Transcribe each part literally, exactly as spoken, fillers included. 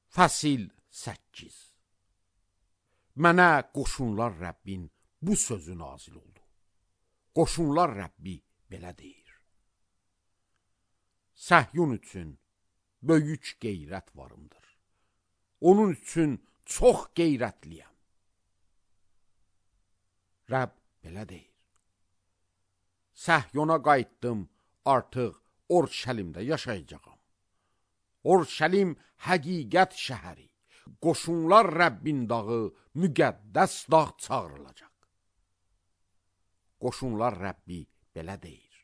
Fəsil səkkiz. Mənə qoşunlar Rəbbin bu sözü nazil oldu. Qoşunlar Rəbbi belə deyir: Səhyun üçün böyük qeyrət varımdır. Onun üçün çox qeyrətliyəm. Rəbb belə deyir: Səhyona qayıtdım, artıq Orşəlimdə yaşayacağam. Orşəlim həqiqət şəhəri, qoşunlar Rəbbin dağı, müqəddəs dağ çağırılacaq. Qoşunlar Rəbbi belə deyir: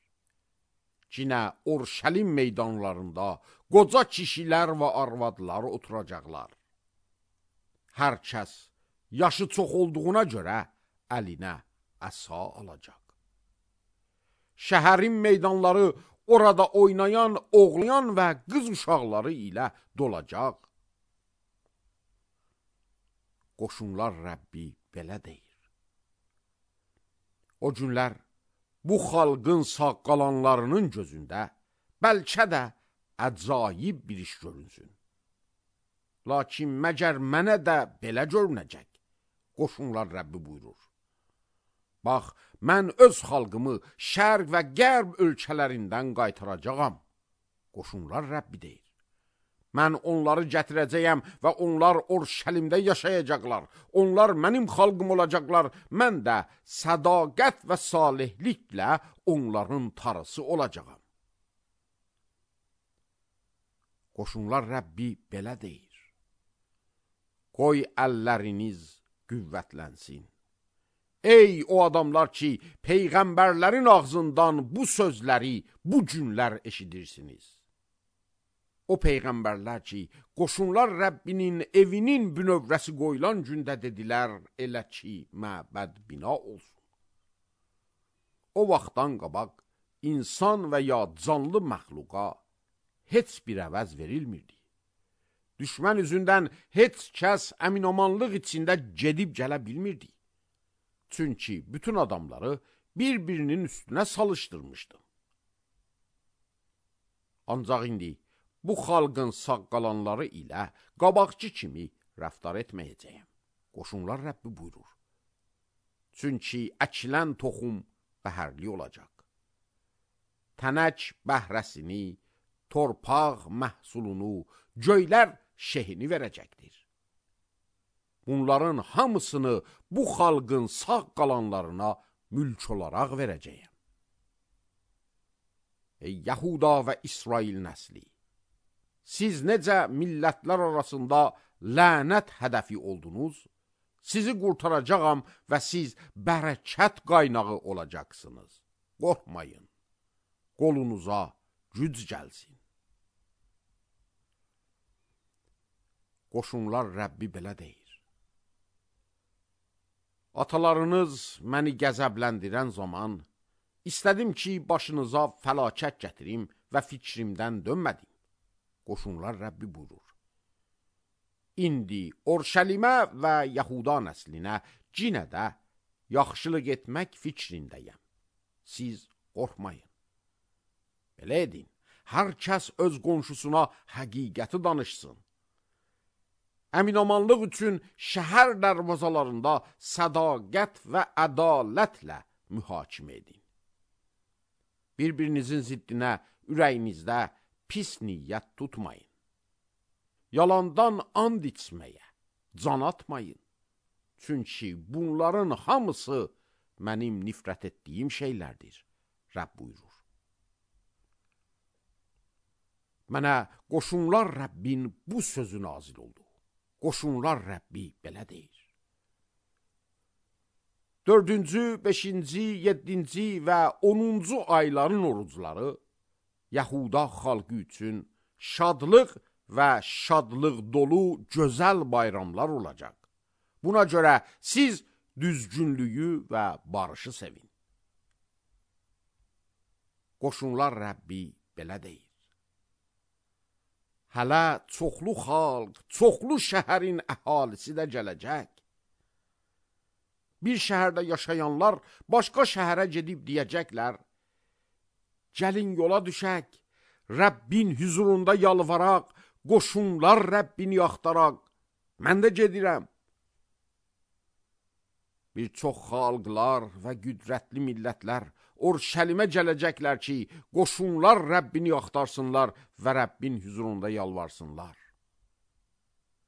Cinə Orşəlim meydanlarında qoca kişilər və arvadlar oturacaqlar. Hər kəs yaşı çox olduğuna görə əlinə əsa alacaq. Şəhərin meydanları orada oynayan, oğlayan və qız uşaqları ilə dolacaq. Qoşunlar Rəbbi belə deyir: O günlər bu xalqın sağ qalanlarının gözündə bəlkə də əcayib bir iş görünsün. Lakin məgər mənə də belə görünəcək, qoşunlar Rəbbi buyurur. Bax, mən öz xalqımı şərq və qərb ölkələrindən qaytaracağam. Qoşunlar Rəbbi deyir. Mən onları gətirəcəyəm və onlar Orşəlimdə yaşayacaqlar. Onlar mənim xalqım olacaqlar. Mən də sədaqət və salihliklə onların tarısı olacağam. Qoşunlar Rəbbi belə deyir: Qoy əlləriniz qüvvətlənsin. Ey o adamlar ki, peyğəmbərlərin ağzından bu sözləri bu günlər eşidirsiniz. O peyğəmbərlər ki, qoşunlar Rəbbinin evinin bünövrəsi qoyulan gündə dedilər, elə ki, məbəd bina olsun. O vaxtdan qabaq insan və ya canlı məxluqa heç bir əvəz verilmirdi. Düşmən üzündən heç kəs əminamanlıq içində gedib gələ bilmirdi. Çünki bütün adamları bir-birinin üstünə salışdırmışdı. Ancaq indi bu xalqın sağ qalanları ilə qabaqçı kimi rəftar etməyəcəyəm. Qoşunlar Rəbbi buyurur. Çünki əkilən toxum bəhərli olacaq. Tənək bəhrəsini, torpaq məhsulunu, göylər şehini verəcəkdir. Bunların hamısını bu xalqın sağ qalanlarına mülk olaraq verəcəyəm. Ey Yahuda və İsrail nəsli! Siz necə millətlər arasında lənət hədəfi oldunuz, sizi qurtaracağam və siz bərəkət qaynağı olacaqsınız. Qorxmayın, qolunuza güc gəlsin. Qoşunlar Rəbbi belə deyir: Atalarınız məni qəzəbləndirən zaman istədim ki, başınıza fəlakət gətirim və fikrimdən dönmədim. Qoşunlar Rəbbi buyurur. İndi Orşəlimə və Yahuda nəslinə cinə də yaxşılıq etmək fikrindəyəm. Siz qorxmayın. Belə edin, hər kəs öz qonşusuna həqiqəti danışsın. Əminamanlıq üçün şəhər dərvazalarında sədaqət və ədalətlə mühakimə edin. Bir-birinizin ziddinə ürəyinizdə pis niyyət tutmayın. Yalandan and içməyə can atmayın. Çünki bunların hamısı mənim nifrət etdiyim şeylərdir, Rəbb buyurur. Mənə qoşunlar Rəbbin bu sözü nazil oldu. Qoşunlar Rəbbi belə deyir. Dördüncü, beşinci, yeddinci və onuncu ayların orucları Yahuda xalqı üçün şadlıq və şadlıq dolu gözəl bayramlar olacaq. Buna görə siz düzgünlüyü və barışı sevin. Qoşunlar Rəbbi belə deyir. Hələ çoxlu xalq, çoxlu şəhərin əhalisi də gələcək. Bir şəhərdə yaşayanlar başqa şəhərə gedib deyəcəklər: Gəlin yola düşək, Rəbbin huzurunda yalvaraq, qoşunlar Rəbbini axtaraq, mən də gedirəm. Bir çox xalqlar və qüdrətli millətlər Orşəlimə gələcəklər ki, qoşunlar Rəbbini axtarsınlar və Rəbbin huzurunda yalvarsınlar.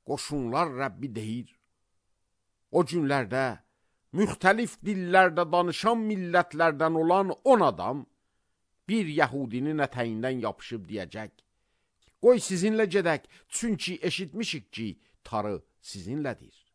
Qoşunlar Rəbbi deyir, o günlərdə müxtəlif dillərdə danışan millətlərdən olan on adam bir yəhudinin ətəyindən yapışıb deyəcək, qoy sizinlə gedək, çünki eşitmişik ki, tarı sizinlədir.